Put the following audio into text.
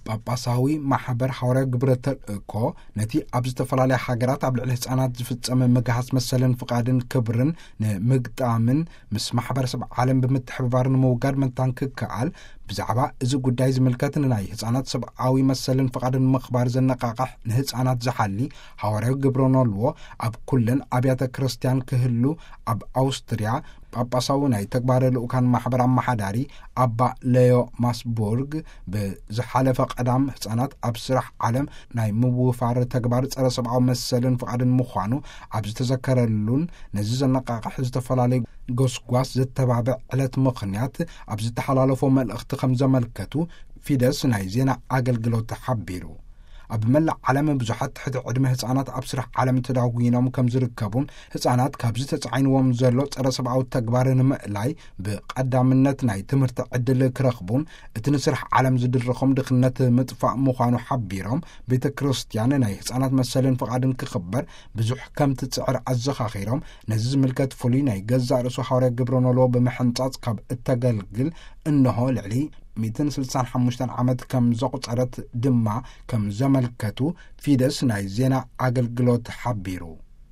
ጳጳሳዊ ማሕበር ሓዋርያ ግብረ ተልእኮ ነቲ ኣብ ዝተፈላለያ ሃገራት ኣብ ልዕሊ ህፃናት ዝፍጸመ ምግሃስ መሰልን ፍቓድን ክብርን ንምግጣምን ምስ ማሕበረሰብ ዓለም ብምትሕብባር ንምውጋድ መታን ክከኣል ብዛዕባ እዚ ጉዳይ ዝምልከት ንናይ ህፃናት ሰብኣዊ መሰልን ፍቓድን ምኽባር ዘነቃቕሕ ንህፃናት ዝሓሊ ሓዋርያዊ ግብረ ኖልዎ ኣብ ኩለን ኣብያተ ክርስቲያን ክህሉ ኣብ ኣውስትርያ ጳጳሳዊ ናይ ተግባረ ልኡካን ማሕበር ኣመሓዳሪ ኣባ ሌዮ ማስቡርግ ብዝሓለፈ ቀዳም ህፃናት ኣብ ስራሕ ዓለም ናይ ምውፋር ተግባር ጸረ ሰብኣዊ መሰልን ፍቓድን ምዃኑ ኣብ ዝተዘከረሉን ነዚ ዘነቃቕሕ ዝተፈላለዩ ጎስጓስ ዘተባብዕ ዕለት ምኽንያት ኣብ ዝተሓላለፎ መልእኽቲ ከም ዘመልከቱ ፊደስ ናይ ዜና ኣገልግሎት ሓቢሩ። ኣብ መላእ ዓለም ብዙሓት ትሕቲ ዕድመ ህፃናት ኣብ ስራሕ ዓለም ተዳጒኖም ከም ዝርከቡን ህፃናት ካብዚ ተፃዒንዎም ዘሎ ጸረ ሰብኣዊ ተግባር ንምእላይ ብቐዳምነት ናይ ትምህርቲ ዕድል ክረኽቡን እቲ ንስራሕ ዓለም ዝድርኾም ድኽነት ምጥፋእ ምዃኑ ሓቢሮም ቤተ ክርስቲያን ናይ ህፃናት መሰልን ፍቓድን ክኽበር ብዙሕ ከም ትፅዕር ኣዘኻኺሮም ነዚ ዝምልከት ፍሉይ ናይ ገዛእ ርእሱ ሓዋርያ ግብረ ኖልዎ ብምሕንጻጽ ካብ እተገልግል እነሆ ልዕሊ ሚእትን ስልሳን ሓሙሽተን ዓመት ከም ዘቑጸረት ድማ ከም ዘመልከቱ ፊደስ ናይ ዜና ኣገልግሎት ሓቢሩ።